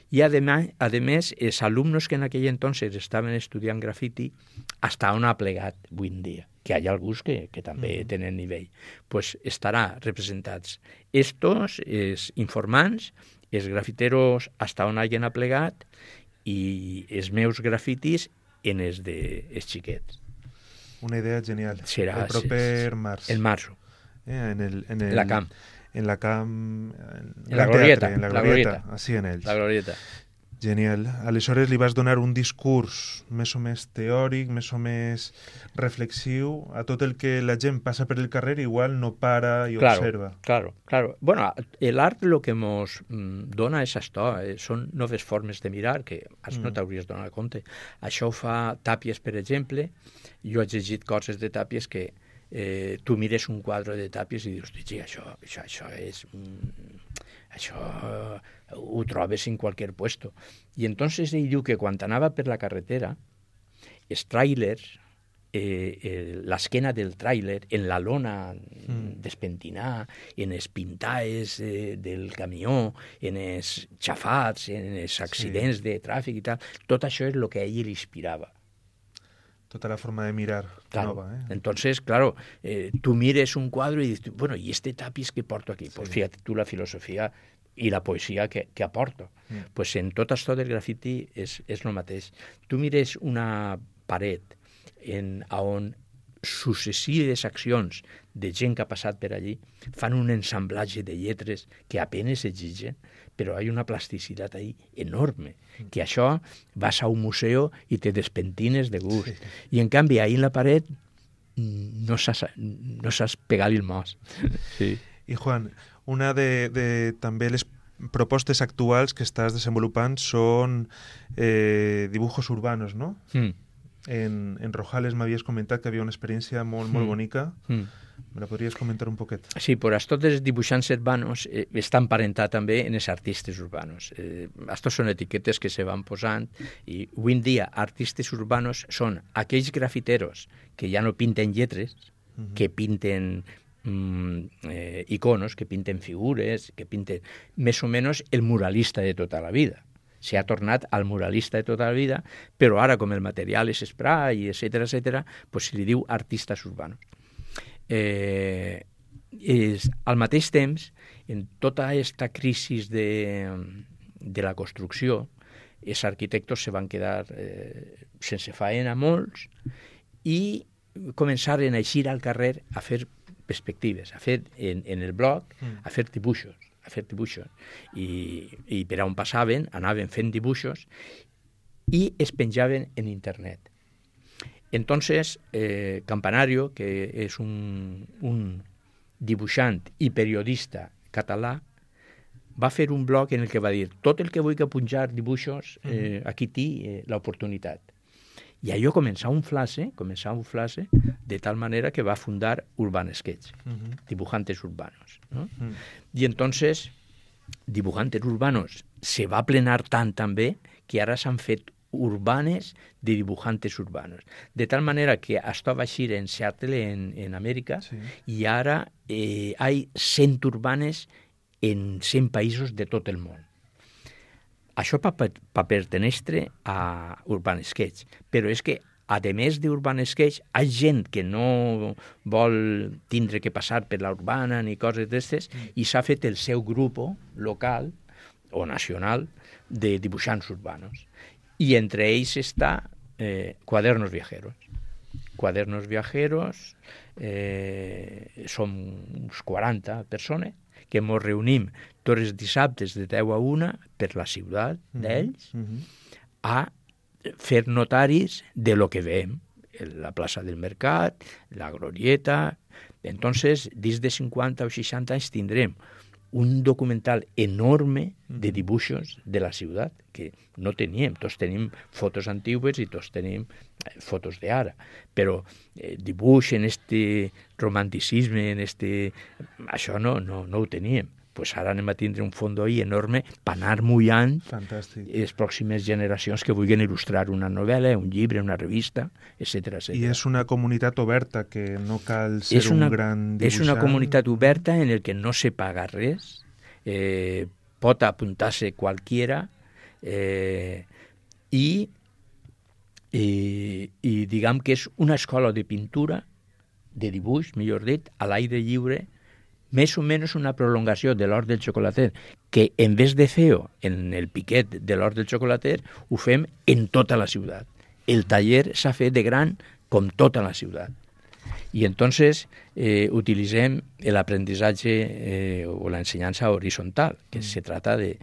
i, a més, els alumnos que en aquell entonces estaven estudiant grafiti hasta on ha plegat avui en dia, que hi ha alguns que també tenen nivell. Pues estarà representats estos, els informants, els grafiteros hasta on hagin aplegat i els meus grafitis en els dels xiquets. Una idea genial. Serà el proper març. El març. En la Glorieta. En la Glorieta. Así en ells. La Glorieta. Genial. Aleshores li vas donar un discurs més o més teòric, més o més reflexiu a tot el que la gent passa per el carrer, igual no para i observa. Claro. Bueno, el art lo que nos dona és això, són noves formes de mirar que no t'hauries donat compte. Això ho fa Tàpies, per exemple. Jo he llegit coses de Tàpies que tu mires un quadre de Tàpies i dius, sí, això és... Això ho trobes en qualsevol puesto. I entonces ell diu que quan anava per la carretera, els tràilers, l'esquena del tràiler, en la lona despentinada, en els pintaes del camió, en els xafats, en els accidents de tràfic i tal, tot això és el que a ell l'inspirava. Tota la forma de mirar nova. Entonces, claro, tú mires un cuadro y dices, bueno, ¿y este tapiz que porto aquí? Pues fíjate tú la filosofía i la poesia que aporto. Pues en tot això del grafiti és el mateix. Tu mires una paret on successives accions de gent que ha passat per allí fan un ensamblatge de lletres que apenas exigen, però hi ha una plasticitat ahí enorme, que això vas a un museu i te despentines de gust. I en canvi ahí en la paret no saps pegar-li el mos. Sí. I Juan, una de també les propostes actuals que estàs desenvolupant són dibujos urbanos, no? En Rojales m'havies comentat que havia una experiència molt bonica. Me la podries comentar un poquet? Sí, però tots els dibuixants urbanos estan emparentats també en els artistes urbanos. Estos són etiquetes que se van posant i avui en dia artistes urbanos són aquells grafiteros que ja no pinten lletres, que pinten iconos, que pinten figures, que pinten més o menys el muralista de tota la vida. Se ha tornat al muralista de tota la vida, però ara, com el material és spray, etc., pues se li diu artistes urbanos. Al mateix temps, en tota aquesta crisi de la construcció, els arquitectes se van quedar sense faena molts i començaren a eixir al carrer a fer perspectives, a fer en el bloc, a fer dibuixos. I per on passaven anaven fent dibuixos i es penjaven en internet. Entonces Campanario, que és un dibuixant i periodista català, va fer un blog en el que va dir tot el que vull que punjar dibuixos, aquí té l'oportunitat. I allò començà un flash, de tal manera que va fundar Urban Sketch, Dibujantes Urbanos, ¿no? I entonces, Dibujantes Urbanos se va plenar tant també que ara s'han fet urbanes de dibujantes urbanos. De tal manera que esto va a ir en Seattle, en América, y ahora hay 100 urbanes en 100 països de tot el món. Això per pertenèixer a Urban Sketch, però és que, a més d'Urban Sketch, hi ha gent que no vol tindre que passar per la urbana ni coses d'estes i s'ha fet el seu grup local o nacional de dibuixants urbanos. Y entre ells està Cuadernos Viajeros. Cuadernos Viajeros som uns 40 persones que ens reunim tots els dissabtes de 10 a 1 per la ciutat d'ells a fer notaris de lo que veiem, la plaça del Mercat, la Glorieta. Entonces, dins de 50 o 60 anys tindrem un documental enorme de dibuixos de la ciutat, que no teníem. Tots tenim fotos antigues i tots tenim fotos d'ara. Però dibuix en este romanticisme, això no ho teníem. Pues ara anem a tindre un fons ahí enorme per anar mullant les pròximes generacions que vulguin il·lustrar una novel·la, un llibre, una revista, etc. I és una comunitat oberta, que no cal ser un gran dibuixant. És una comunitat oberta en el que no se paga res, pot apuntar-se qualquiera i diguem que és una escola de pintura, de dibuix, millor dit, a l'aire lliure, més o menys una prolongació de l'Hort del Xocolater, que en vez de fer-ho en el piquet de l'Hort del Xocolater, ho fem en tota la ciutat. El taller s'ha fet de gran com tota la ciutat. Y entonces utilicem el aprendizaje o la enseñanza horizontal, que se trata de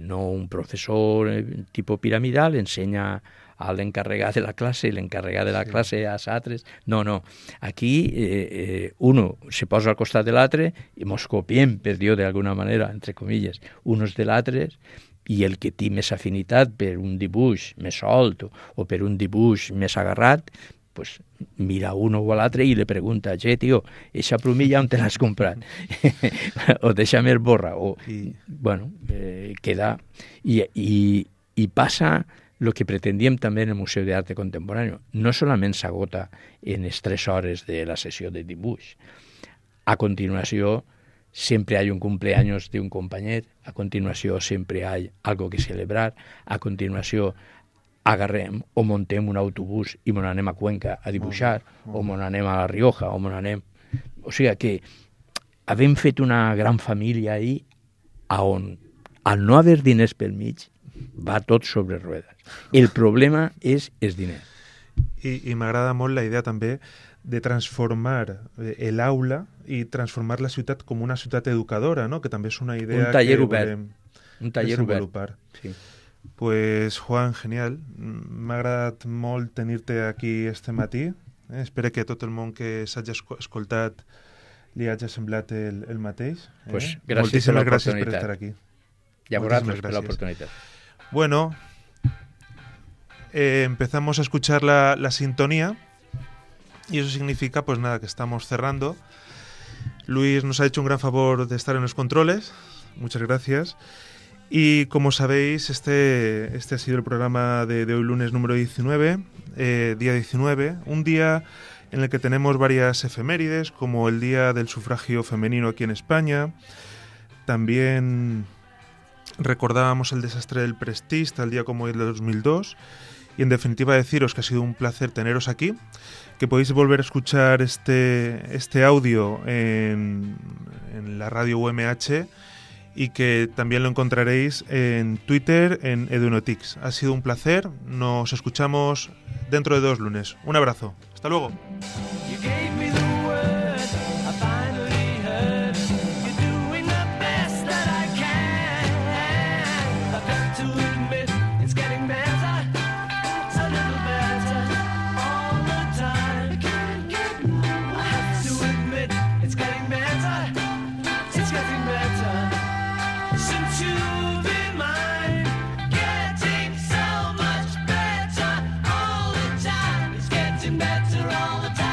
no un profesor tipo piramidal, enseña al encarregat de la classe i l'encarregat de la classe als altres. No. Aquí uno se posa al costat de l'altre i mos copiem, per dir-ho d'alguna manera, entre comilles, uns de l'altres, i el que té més afinitat per un dibuix més solt o per un dibuix més agarrat, pues mira uno o a l'altre i le pregunta, tio, eixa plumilla on te l'has comprat? O deixa més borra. O, bueno, queda... I passa lo que pretendíem també en el Museu d'Arte Contemporáneo. No solament s'agota en les 3 hores de la sessió de dibuix. A continuació, siempre hay un cumpleaños de un companyet, a continuació sempre hay algo que celebrar, a continuació agarrem o montem un autobús i mon anem a Cuenca a dibuixar, o mon anem a La Rioja, o mon anem... O sigui que havem fet una gran família ahí on, al no haver diners pel mig, va tot sobre rodes. El problema és els diners. I m'agrada molt la idea també de transformar l'aula i transformar la ciutat com una ciutat educadora, no? Que també és una idea un taller que obert. volem Un taller desenvolupar. obert. Sí. Pues, Juan, genial. M'ha agradat molt tenir-te aquí este matí. Espero que tot el món que s'hagi escoltat li hagi semblat el mateix. Pues, gràcies per gràcies per l'oportunitat. estar aquí. I a vosaltres per l'oportunitat. Bueno, empezamos a escuchar la sintonía y eso significa, pues nada, que estamos cerrando. Luis nos ha hecho un gran favor de estar en los controles. Muchas gracias. Y como sabéis, este ha sido el programa de hoy lunes número 19, día 19, un día en el que tenemos varias efemérides, como el Día del Sufragio Femenino aquí en España. También recordábamos el desastre del Prestige, tal día como hoy del 2002. Y en definitiva deciros que ha sido un placer teneros aquí, que podéis volver a escuchar este audio en la radio UMH y que también lo encontraréis en Twitter, en Edunotics. Ha sido un placer, nos escuchamos dentro de 2 lunes. Un abrazo, hasta luego. Better all the time.